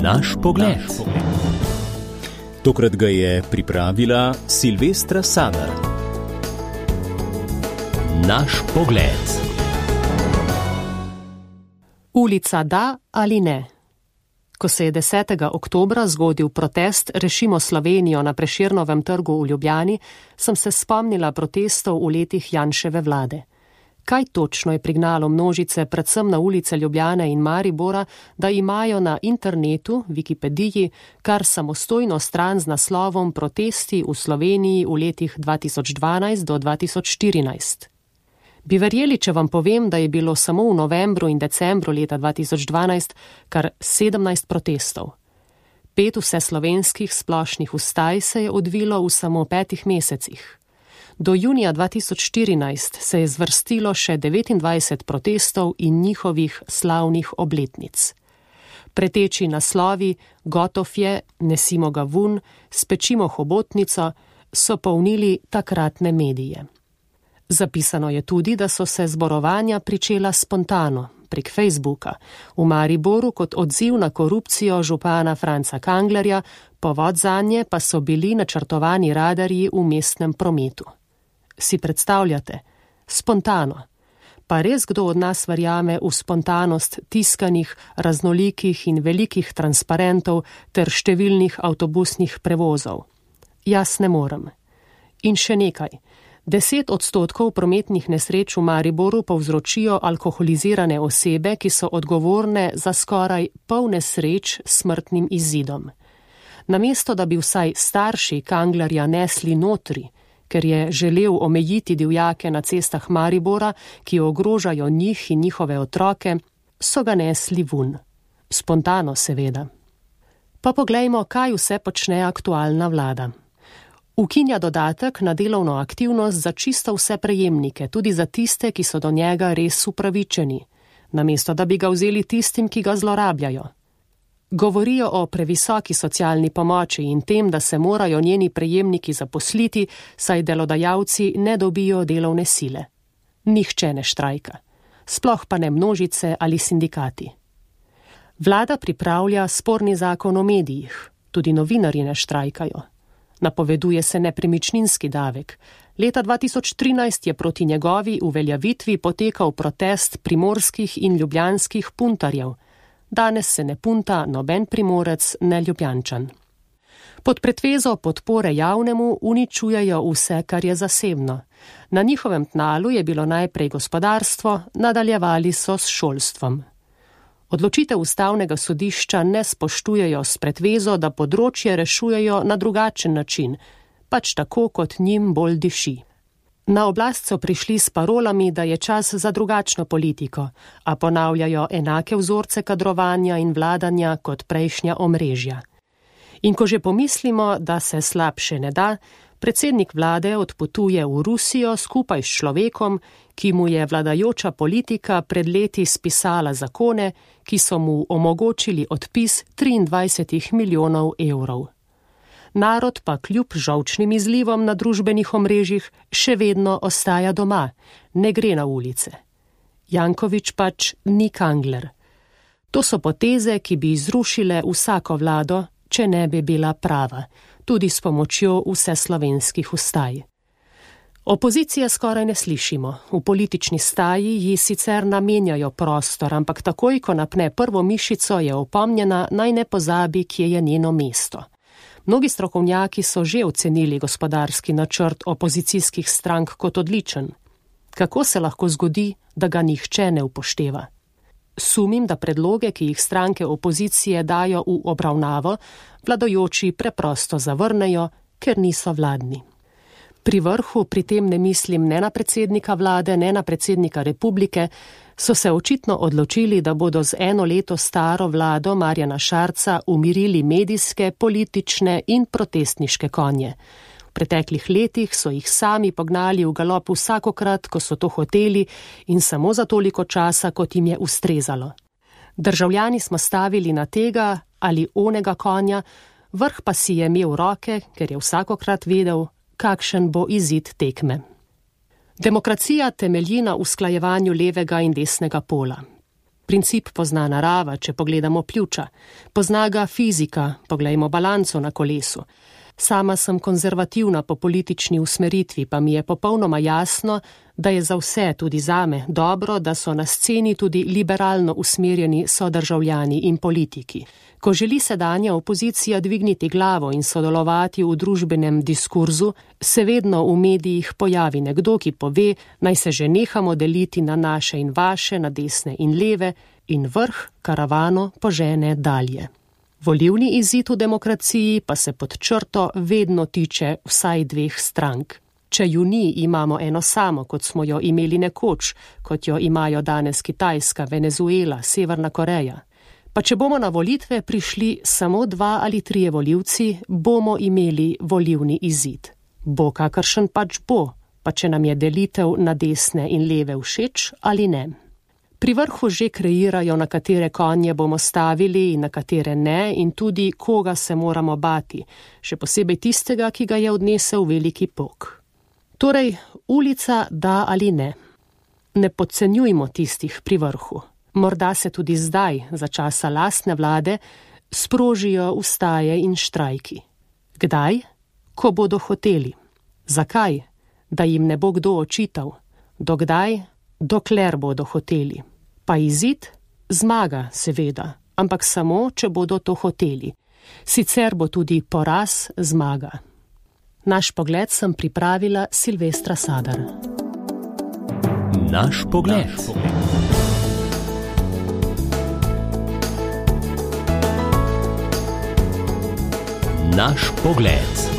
Naš pogled. Tokrat ga je pripravila Silvestra Sadar. Naš pogled. Ulica da ali ne? Ko se je 10. oktobra zgodil protest Rešimo Slovenijo na Prešernovem trgu v Ljubljani, sem se spomnila protestov v letih Janševe vlade. Kaj točno je prignalo množice predvsem na ulice Ljubljane in Maribora, da imajo na internetu, Wikipediji, kar samostojno stran z naslovom Protesti v Sloveniji v letih 2012 do 2014? Bi verjeli, če vam povem, da je bilo samo v novembru in decembru leta 2012 kar 17 protestov. 5 vseslovenskih splošnih vstaj se je odvilo v samo 5 mesecih. Do junija 2014 se je zvrstilo še 29 protestov in njihovih slavnih obletnic. Preteči naslovi Gotov je, Nesimo ga vun, Spečimo hobotnico so polnili takratne medije. Zapisano je tudi, da so se zborovanja pričela spontano, prek Facebooka, v Mariboru kot odziv na korupcijo župana Franca Kanglerja, povod zanje pa so bili načrtovani radarji v mestnem prometu. Si predstavljate? Spontano. Pa res kdo od nas verjame v spontanost tiskanih, raznolikih in velikih transparentov ter številnih avtobusnih prevozov? Jaz ne morem. In še nekaj. 10% prometnih nesreč v Mariboru povzročijo alkoholizirane osebe, ki so odgovorne za skoraj pol nesreč s smrtnim izidom. Namesto, da bi vsaj starši Kanglerja nesli notri, ker je želel omejiti divjake na cestah Maribora, ki ogrožajo njih in njihove otroke, so ga nesli vun. Spontano, seveda. Pa poglejmo, kaj vse počne aktualna vlada. Ukinja dodatek na delovno aktivnost za čisto vse prejemnike, tudi za tiste, ki so do njega res upravičeni, namesto da bi ga vzeli tistim, ki ga zlorabljajo. Govorijo o previsoki socialni pomoči in tem, da se morajo njeni prejemniki zaposliti, saj delodajalci ne dobijo delovne sile. Nihče ne štrajka. Sploh pa ne množice ali sindikati. Vlada pripravlja sporni zakon o medijih. Tudi novinarji ne štrajkajo. Napoveduje se nepremičninski davek. Leta 2013 je proti njegovi uveljavitvi potekal protest primorskih in ljubljanskih puntarjev. Danes se ne punta noben Primorec, ne Ljubljančan. Pod pretvezo podpore javnemu uničujejo vse, kar je zasebno. Na njihovem tnalu je bilo najprej gospodarstvo, nadaljevali so s šolstvom. Odločitev ustavnega sodišča ne spoštujejo s pretvezo, da področje rešujejo na drugačen način, pač tako, kot njim bolj diši. Na oblast so prišli s parolami, da je čas za drugačno politiko, a ponavljajo enake vzorce kadrovanja in vladanja kot prejšnja omrežja. In ko že pomislimo, da se slabše ne da, predsednik vlade odpotuje v Rusijo skupaj s človekom, ki mu je vladajoča politika pred leti spisala zakone, ki so mu omogočili odpis 23 milijonov evrov. Narod pa kljub žolčnim izlivom na družbenih omrežjih še vedno ostaja doma, ne gre na ulice. Janković pač ni Kangler. To so poteze, ki bi zrušile vsako vlado, če ne bi bila prava, tudi s pomočjo vseslovenskih vstaj. Opozicije skoraj ne slišimo. V politični staji ji sicer namenjajo prostor, ampak takoj, ko napne prvo mišico, je opomnjena, naj ne pozabi, kje je njeno mesto. Mnogi strokovnjaki so že ocenili gospodarski načrt opozicijskih strank kot odličen. Kako se lahko zgodi, da ga nihče ne upošteva? Sumim, da predloge, ki jih stranke opozicije dajo v obravnavo, vladajoči preprosto zavrnejo, ker niso vladni. Pri vrhu, pri tem ne mislim ne na predsednika vlade, ne na predsednika republike, so se očitno odločili, da bodo z 1 leto staro vlado Marjana Šarca umirili medijske, politične in protestniške konje. V preteklih letih so jih sami pognali v galop vsakokrat, ko so to hoteli in samo za toliko časa, kot jim je ustrezalo. Državljani smo stavili na tega ali onega konja, vrh pa si je imel roke, ker je vsakokrat vedel, kakšen bo izid tekme. Demokracija temelji na usklajevanju levega in desnega pola. Princip pozna narava, če pogledamo pljuča. Pozna ga fizika, poglejmo balanco na kolesu. Sama sem konzervativna po politični usmeritvi, pa mi je popolnoma jasno, da je za vse, tudi zame, dobro, da so na sceni tudi liberalno usmerjeni sodržavljani in politiki. Ko želi sedanja opozicija dvigniti glavo in sodelovati v družbenem diskurzu, se vedno v medijih pojavi nekdo, ki pove, naj se že nehamo deliti na naše in vaše, na desne in leve, in vrh karavano požene dalje. Volilni izid v demokraciji pa se pod črto vedno tiče vsaj dveh strank. Če ju ni, imamo eno samo, kot smo jo imeli nekoč, kot jo imajo danes Kitajska, Venezuela, Severna Koreja. Pa če bomo na volitve prišli samo 2 ali 3 volivci, bomo imeli volilni izid. Bo kakršen pač bo, pa če nam je delitev na desne in leve všeč ali ne. Pri vrhu že kreirajo, na katere konje bomo stavili in na katere ne, in tudi koga se moramo bati, še posebej tistega, ki ga je odnesel veliki pok. Torej, ulica da ali ne. Ne podcenjujmo tistih pri vrhu. Morda se tudi zdaj, za časa lastne vlade, sprožijo ustaje in štrajki. Kdaj? Ko bodo hoteli. Zakaj? Da jim ne bo kdo očital. Dokdaj? Dokler bodo hoteli. Pa izid? Zmaga, seveda, ampak samo, če bodo to hoteli. Sicer bo tudi poraz zmaga. Naš pogled sem pripravila Silvestra Sadar. Naš pogled. Naš pogled.